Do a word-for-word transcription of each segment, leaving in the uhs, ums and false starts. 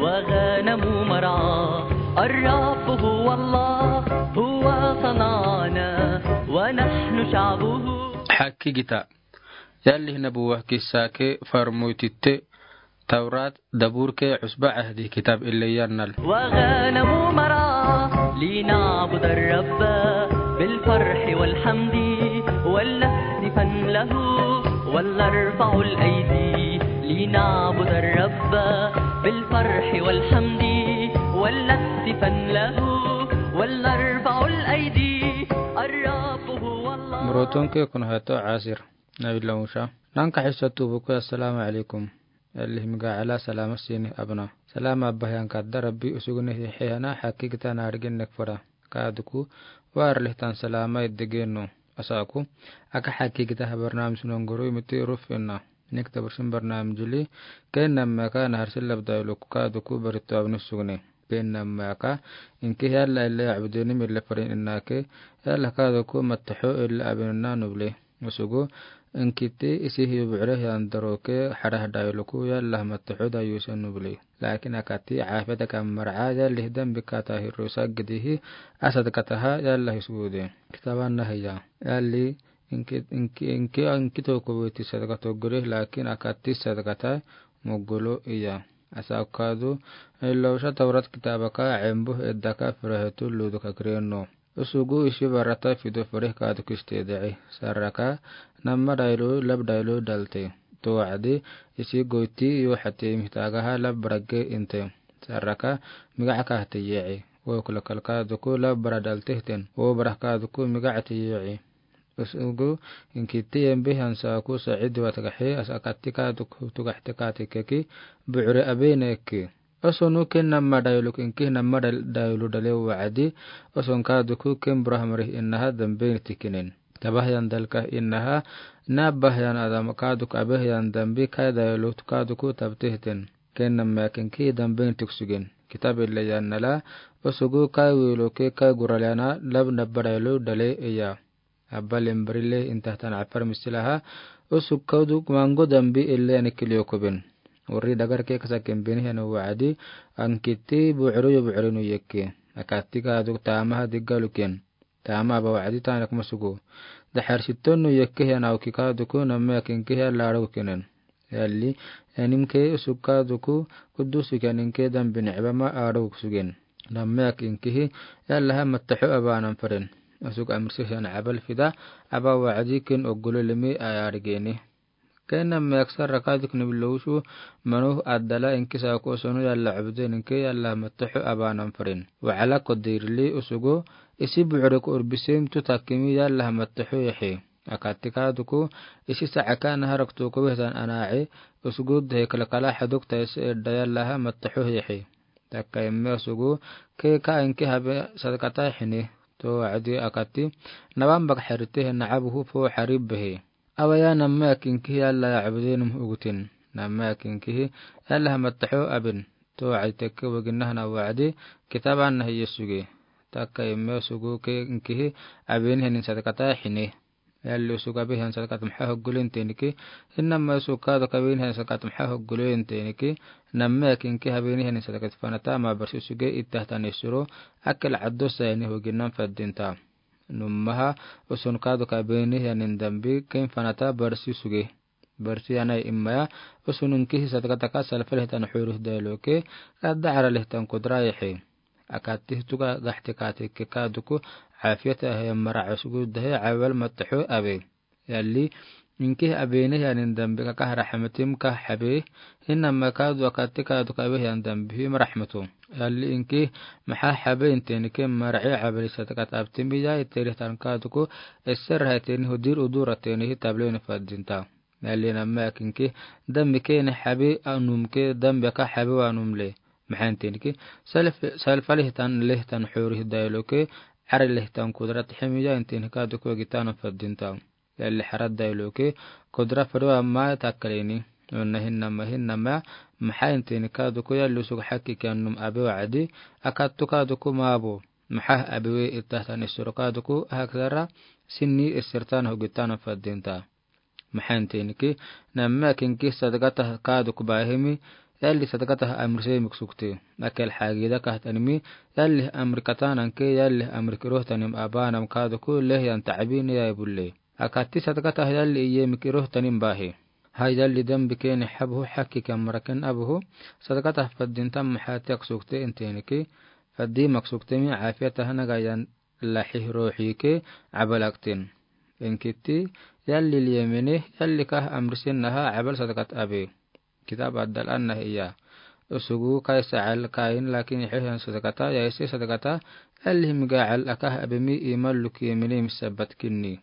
وغنم مرعى. الرب هو الله، هو صنعنا ونحن شعبه. Hakiigita. Yallihi nabuwa kissa ke farmoytitte Tawrat daburke Usba Ahdi kitab ille yannal. وغنم مرعى لنعبد الرب بالفرح والحمد ولنهتفن له ولنرفع الأيدي لنعبد الرب بالفرح والحمد ولنهتفن له ولنرفع الأيدي. الرب هو الله. Morotonke kun hato Asir. Nabi Musa. Nanka hissa tubuku, assalaamu alaykum. Yallihi miga ala salama siini abana. Salama abahiyan kadda Rabbi usuguni hiihena hakiigita naarigin nek fara. Kaaduku, warlihtan salama idegeno. Asaku, aka hakiigita ha barnaamij nonguru imiti rufinna. Nik tabursin barnaamij li, ken nammaka naharsin lab dayluku kaaduku barito abni sugni. Ken nammaka, inki yalla ille abdeni mille farin innake, yalla kaaduku mattaho ille abinna nuble. Usugu, inkiti isi hiyo bu'ure hiyan daroke harah dayluku yalla mattaho dayusen nuble. Lakin akati afeta kam mar'a yallihi dambi kata hirusa gidihi asad kataha yalla hisude. Kitaban nahiya. Yalli inki, inki, inki, inki toko weti sadaka togore, lakin akati sadakata mogolo iya. Asa kaadu, illa usa Tawrat kitabaka embu eddaka firahetu ludu kakreno. Usugu isi barata fido farih kaadu kiste da'i. Saraka, namma daylu, lab daylu dalte. To wa'adi, isi goyti yo hati mihtagaha lab barage inte. Saraka, miga aka hati ye'i. Wo kula kalka duku lab bara dalte hiten. Wo baraka duku miga ati ye'i. Usugu, inkiti yembe hansaku sa'id wa tagahi, asa akati kaaduku tagahte kati keki, bu'ure abene ki. Osonu ken namma dayluku inki namma dal-, daylu dale wa'adi, oson kaaduku ken buraha marih innaha dambe ni tikinen. Tabahyan dalka innaha, nabahyan adam kaaduku abahyan dambi kai daylu kaaduku tabtehten. Ken namma kinki dambe ni tiksugen. Kitab ille yannala, osugu kai wiloke kai guralana lab nabba daylu dale iya. Abba lembarile intahtan afar misilaha, usug kaaduku mango dambi ille ani kiliokuben. Uri dagar ke kasaken beni hanu wa'adi, ankiti bu'uru yo bu'urinu yekke. Akati kaaduku tamaha diggaluken. Tama aba wa'adi tanak masugu. Dahar sitonu yekke hanu awki kaaduku namma kinki hanu larukenen. Yalli, enim ke usug kaaduku kudusu ke anin ke dambi ni'ba ma aru sugen. Namma kinkihi, yalla ha mattaho abanan faren. Usug amrisi hanu abal fida, aba wa'adi ken ogolo limi ayarigeni. Ken namma aksar rakadik nubilosu, manu adala inki saku osonu yalla abden inki yalla ha mattaho abanan faren. Wa'ala kodirli usugu, isi bu'ureku urbisim tu takimi yalla ha mattaho yehi. Akati kaaduku, isi sa'aka naharak tuku wehdan ana'i, usugu dehe kalakala haduk taisi edda yalla ha mattaho yehi. Takka imme usugu, ke ka inki habe sadakata hini, to wa'adi akati, nabambak harite hena abuhu fo harib behi. Awaya namma kinkihi yalla ya abdenum ugutin. Namma kinkihi yalla ha mattaho abin. To wa'adi tekke wagin nahana wa'adi, kitaban nahi yesugi. Takka imme usugu ke inkihi abin henin sadakata hini. Yalli usugu abe hiyan sadakata maha hoggulen teniki, hinna ma usugu kaadu kabin hiyan sadakata maha hoggulen teniki, namma kinki habin hiyan sadakata fanata ma barsi usuge ittahtan isuro, akil addo sayni hoginan faddinta. Nummaha usun kaadu kabin hiyan dambi ken fanata barsi usuge. Barsi anai immaya, usun inkihi sadakataka salfalihtan hurus dailoke, kadda aralihtan kudra yehi. Akatih tuga gahte kate ke kaaduku, afiyata he mara usugu dahe awal mattaho abe. Yalli, inkihi abene hiyan dambi kaka rahmatim ka habe, hinna ma kaadu akati kaaduku abe hiyan dambi hima rahmatu. Yalli inkihi maha habe inteni ke mara'i abali sadakat abtimi ya iterihtan kaaduku, eser ha iteni hudir udur ateni hi tablen faddinta. Yalli namma kinki, dambi kene habe anum ke dambi ka habe wanum le. Maha inteni ke, salf-, salfalihtan lihtan hurih dailoke, aralihtan kudrat himiya inteni kaaduku gitan faddinta. Yalli harad dailoke, kudra fado amma takkaleni. Unna hinna ma hinna ma, maha inteni kaaduku yalli usugu haki kiyanum abe wa'adi, akattu kaaduku mabo. Maha abewe ittahtan isuro kaaduku, ahaksara, sinni isirtan hogitan faddinta. Maha inteni ke, namma kinki sadakata kaaduku bahimi, yalli sadaqata ha amrise mik sukte. Akel xaagida kahtanimi, yalli amri katanan ke, yalli amri kirohtanim abaanam kaduku lehyan tabi ni yai bulle. Akati sadaqata yalli iye mik kirohtanim bahi. Hay yalli dambi keni xabuhu xaki kamraken abuhu, sadaqata fadintam maxati ak sukte inteni ke, fadi mak sukte mi afiyata hana gayan laxi roxi ke abal akten. Inkiti yalli liyemene, yalli kah amrisen naha abal sadaqat abe. Kitab adal anna hiya. Usugu kaisa al kain lakin ixehan sadaqata, yaise sadaqata, yalli himiga al akah abemi iman luk yemene misabat kinni.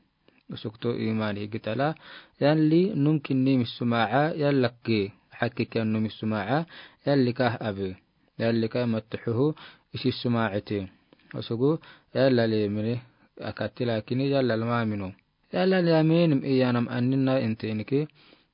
Usukto iman higitala, yalli num kinni misumaca, yallak ge, xaki kiyan num misumaca, yalli kah abe. Yalli kah mattuxuhu, isi sumaacete. Usugu, yalla liyemene, akati lakini yalla lmamino. Yalla liyaminenim iyanam anina inteni ke,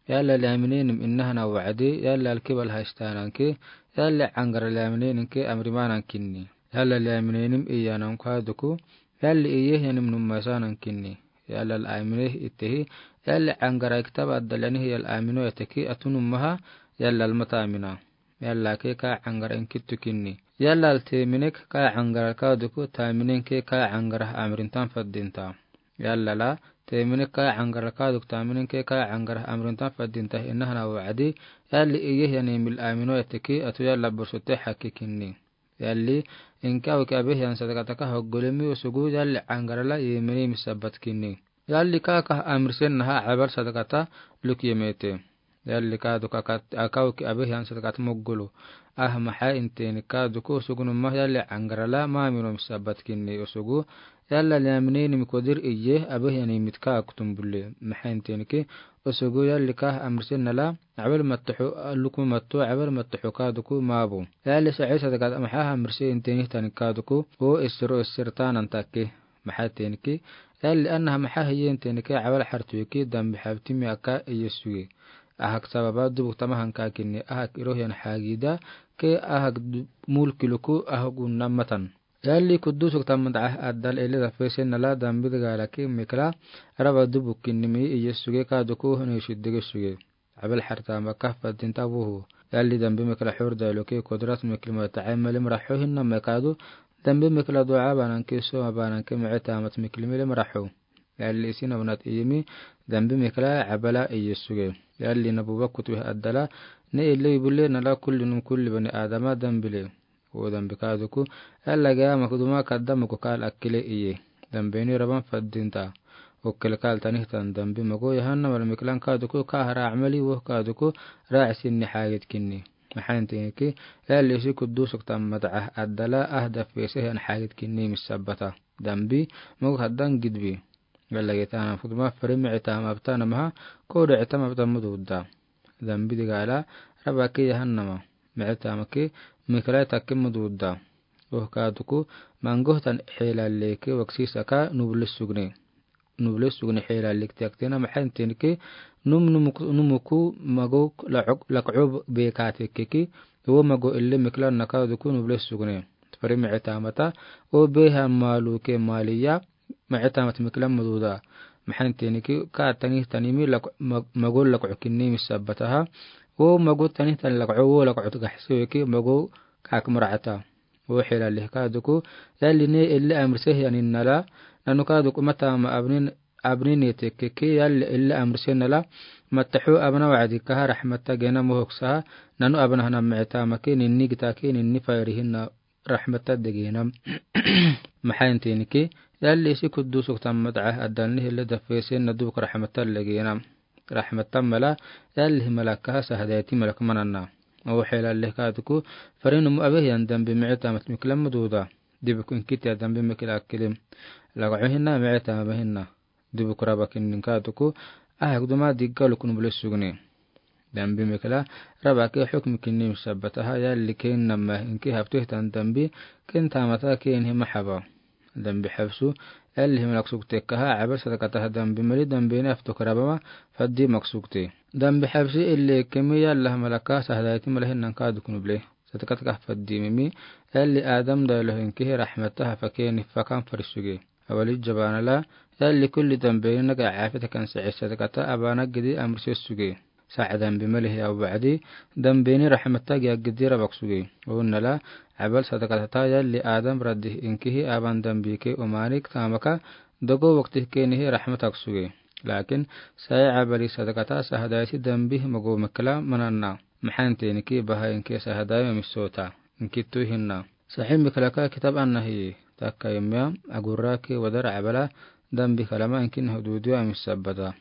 yalla liyaminenim inahana wacdi, yalla alkibal haistanan ke, yalla angara liyaminenim ke amrimanan kinni. Yalla liyaminenim iyanam kaduku, yalli iyehiyanim nummaisanan kinni. Yalla laminehi itehi, yalla angara kitab adal yanihi yalla amino yateki atu nummaha, yalla lmata amina. Yalla ke ka angara inkitu kinni. Yalla lteminek ka angara kaduku taminen ke ka angara amrintan fadinta. Yalla la, teminek ka angara kaduku taminen ke ka angara amrintan fadinta inahana wacdi, yalli iyehiyanim il amino yateki atu yalla bursote xaki kinni. Yalli, inka uke abehiyan sadaqata ka hoggolemi usugu yalli angara la yemene misabat kinni. Yalli ka kah amrisen naha abal sadaqata luk yemete. Yalli kaduku aka uke abehiyan sadaqata moggolo. Ah maxa inteni kaduku usugu numma yalli angara la mamino misabat kinni usugu. Yalla liyaminenim kodir iye abehiyan imit ka aktum bulle. Maxa inteni ke usugu yalli kah amrisen nala abal mattuxu lukma mattu abal mattuxu kaduku mabu. Yalli saci sadaqat maxa amrise inteni tani kaduku o isiro isirtanan take. Maxa tenki, yalli annaha maxa hiye inteni ke abal xartuki dambi xabtimi aka iye suge. Ahak sababa dubuk tamahan ka kinni ahak irohiyan xagida ke ahak mulki luku ahak unna matan. Yalli kudusuk tamadaca adal ele dafesen nala dambi digalaki mikla raba dubuk kinnimi iye suge kaduku hunu shiddige suge. Abal xartama kah fadinta buhu. Yalli dambi mikla xurdailuki kudrat mikli mataca mali maraxo hinna mekadu dambi mikla duca bananki soma bananki micitamat mikli mali maraxo. Yalli isin abnat iyimi dambi mikla abala iye suge. Yalli nabuba kutwe adala ne ele ibule nala kulli num kulli bani adama dambile. O dambi kaduku, yalla geyama kuduma kadda mogo kal akile iye. Dambeni raban fadinta. Okkel kal tanihtan dambi mogo yahannama miklan kaduku kahara amali wo kaduku raasinni xagid kinni. Maxaintinki, yalli isi kudusuk tamadaca adala ah dafesehan xagid kinni misabata. Dambi mogo kaddan gidbi. Yalla geytana kuduma fari micitama abtanamaha kode citama abtan mududa. Dambi digala rabaki yahannama. Micitamaki miklai takki mududa. Oh kaduku mangohtan xelaleki waksisaka nuble sugne. Nuble sugne xelaleki tiaktena maxaintinki num numuku mago lakco bekatekeki wo mago ele miklan nakaduku nuble sugne. Fari micitamata wo behan maluke maliya micitamat miklan mududa. Maxaintinki ka tanihtanimi mago lakco kinni misabataha. Wo mago tanihtan lakco wo lakco gaxsiweki mago kak muracata. Wo xelaleki kaduku yalli ne ele amrisehi anin nala nanu kaduku matama abnin abnini tekeki yalli ele amrisen nala mataxu abna wacdikaha raxmata gena mohoksaha nanu abnahana micitamaki ninni gitaki ninni fairihina raxmata degena. Maxaintinki yalli isi kudusuk tamadaca adalni hele dafesenna dubuk raxmata legena. Raxmata mala yalli himalakaha sahdayti malak manana. Wo xelaleki kaduku farinumu abehiyan dambi micitamat miklan mududa. Dibuk inkitiya dambi mikla akili lakco hinna micitama hinna. Dibuk raba kinni kaduku ahak duma diggaluk nuble sugne. Dambi mikla rabaki xukmi kinni misabataha yalli kennama inki habtuhtan dambi ken tamata kenhi maxaba. Dambi xabsu yalli himalak suktekaha abal sadakataha dambi mali dambeni abtuk rabama fadi mak sukte. Dambi xabsi ele kemi yalla himalaka sahdayti malahinan kaduk nuble. Sadakataka fadimimi yalli adam dailohinkihi raxmataha fakeni fakan farisuge. Awali jabanala yalli kulli dambeni naga cafitakan sece sadakata abana gidi amrise suge. Saɛ dambi mali hiya wacdi, dambeni raxmat tagi aggidi Rabak suge. Oon nala, abal sadaqatata yalli Adam raddi inkihi aban dambi ke umani tamaka dogo wakti kenihi raxmat ak suge. Lakin, saɛ abali sadaqata sahadaisi dambi mago mekla mananna. Maxan tenki baha inki sahadai mamisoota. Inkitu hinna. Saxi miklaka kitab annahi. Takka imya, aguraki wadar abala dambi kalama inkin hududu amisabata.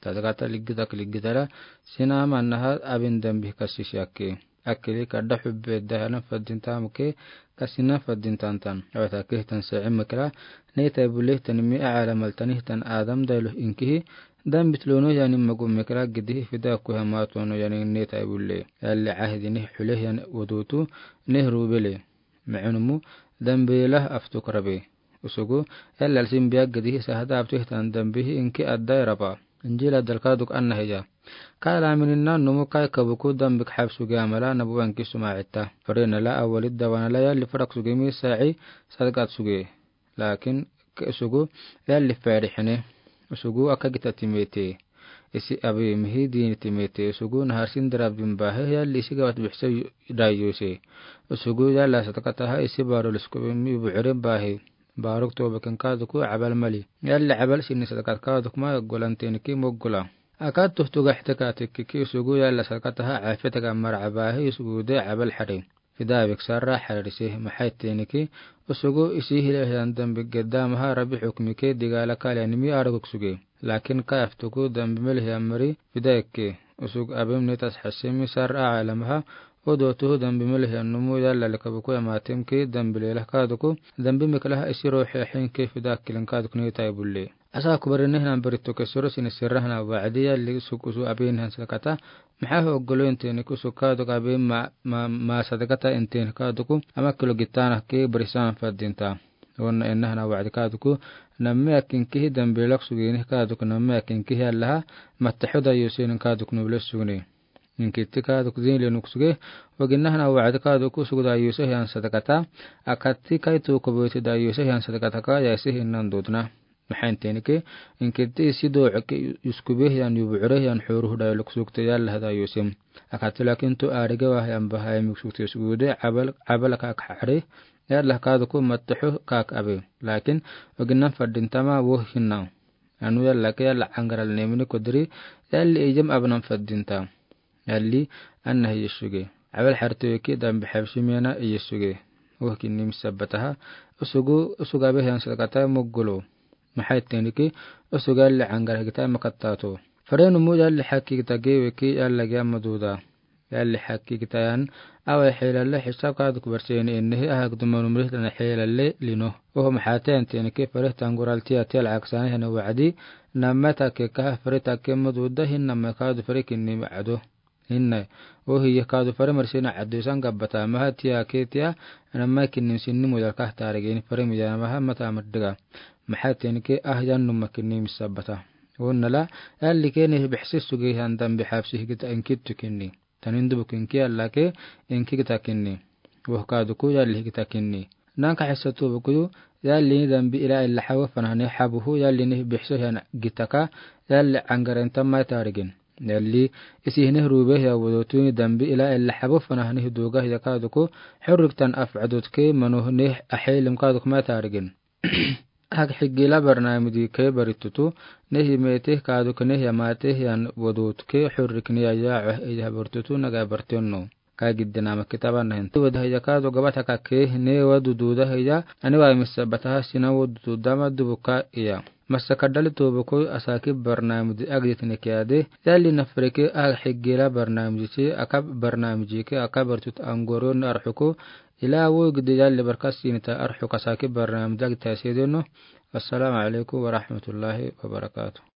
Sadaqata ligitak ligitala, sina mannaha abin dambi kasisi akke. Akkeli kadda hubbe dahalan faddin tamuke, kasina faddin tantan. Awata kehtan saɛ mikla, neta bule tanmi aala maltani tan Adam dailu inkihi, dambi tlono yani magu mikla gidi fida ku hama tono yani neta bule. Yalli ahdi nih hule yan wadutu, nih rubele. Maɛnumu, dambi lah aftuk rabe. Usugu, yalli alsin biya gidi sahada aftuk tan dambi inki adda raba. Injila dalka duk anna hiya. Kala mininna numu kai kabuku dambi khabsuge amala nabu anki suma ita. Fare nala awali dawa nala yalli farak suge mi saɛ sadaqat suge. Lakin ke usugu yalli fare hene. Usugu aka gita timete. Isi abi mihi dini timete. Usugu nahar sin darab bin bahe yalli isi gawat bihse dayuse. Usugu yalla sadaqataha isi barul usugu mi buhre bahe. Baruk tobakin kaduku abal mali. Yalli abal sini sadaqat kaduk ma golan tenki moggola. Akad tuhtuga hteka tekkiki usugu yalla sadaqataha afetaga mara abahe usugu de abal hare. Fida bik sarra hararise maxay tenki, usugu isi hile hiyan dambi gedda maha rabi hukmike digala kali animi araguk suge. Lakin ka aftuku dambi mel hiyan mari fida ikke. Usug abim netas hasimi sarra alamaha, odotuhu dambi mel hiyan numu yalla likabuku yamatimki dambi lelah kaduku, dambi miklaha isi rohe ahinki fida kilin kaduk netai bulle. Asa kubarinihnan barituke suru sini sirrahna wacdi yalli suk usu abinhan sadaqata, maxa ho golo intin ku suka duk abin ma, ma, ma sadaqata intin kaduku, ama kilo gitana ke barisan faddinta. Onna ennahna wacdi kaduku, namme akinkihi dambi lak sugini kaduku namme akinkihi allaha, mattaxo dayusin kaduku nubile sugni. Inkitti kaduku din le nuk suge, waginnahna wacdi kaduku sugu dayuse hiyan sadaqata, akatti kaitu kubuti dayuse hiyan sadaqata ka yaisi hinnan dudna. Maxan tenke, inkitti isi doocke yuskube hiyan yubucre hiyan xoruhu dayuluk sugte yalla dayusem. Akatti lakin tu arige wa hiyan bahayim yuk sugte sugude abal, abal kak hare, yalla kaduku mattaxo kak abe. Lakin, waginnan faddintama wo hinnan. Anu yalla ke yalla angaral nemini kodri, yalli ijem abnan faddinta. Yalli, anna hi Yesuge. Abal hartoyeke dambi habshi mena Yesuge. Wo kinni misabbataha. Usugu, usuga be hiyan sadaqata moggulo. Maxay tenke, usuga yalli angar hagita makattato. Farenumu yalli haki gita geweke yalla ge amma duda. Yalli haki gita yan, awa xeelalle hisab kaduk barseni ennehi ahak dumanumrih dana xeelalle lino. Oho maxate antenke fareh tangural tiya tiya lacag sani hene wacdi, namme take kaha fareh take ma duda hin namme kadu fareh kinni ma cado. Hinna, ohi yeh kadu fare marsina addu isan gabbata maha tiya ke tiya, namma kinni sinni mudal kah tarigeni fare miyana maha mata maddiga. Maha tenke ah yan numma kinni misabbata. Onnala, yalli ke nih bihsi suge han dambi habsi higita inkittu kinni. Tanin dubu kinki yalla ke inki gita kinni. Woh kaduku yalli higita kinni. Nanka hissa tubukuyu, yalli ni dambi ila illa hawa fanahani habuhu, yalli ni bihso hiyan gitaka, yalli angaren tamma tarigin. Yalli, isi hine rube hiya wudutuni dambi ila illa habu fanahani hiduga hiya kaduku, hurriktan af adutke manu hine ahelim kaduku ma tarigin. Hak higila barnamiji ke baritutu, ne himete kaduku ne hiyamate hiyan wudutke hurrikni ya ya eh iya baritutu naga bartenno. Ka giddinama kitaba nahin. Wada hiya kadu gabata kake ne wa dududa hiya, ani wa misabbataha sina wa dududa ma dubuka iya. Masa kadali tubuku asaki barnamiji agditini kiyade, yalli nafreke ah higila barnamiji si aka barnamiji ke aka bartut angoro na arhuku, ila wo gidi yalli barka sinita arhuka asaki barnamiji agdita sedeno. Assalamu alaikum warahmatullahi wabarakatuh.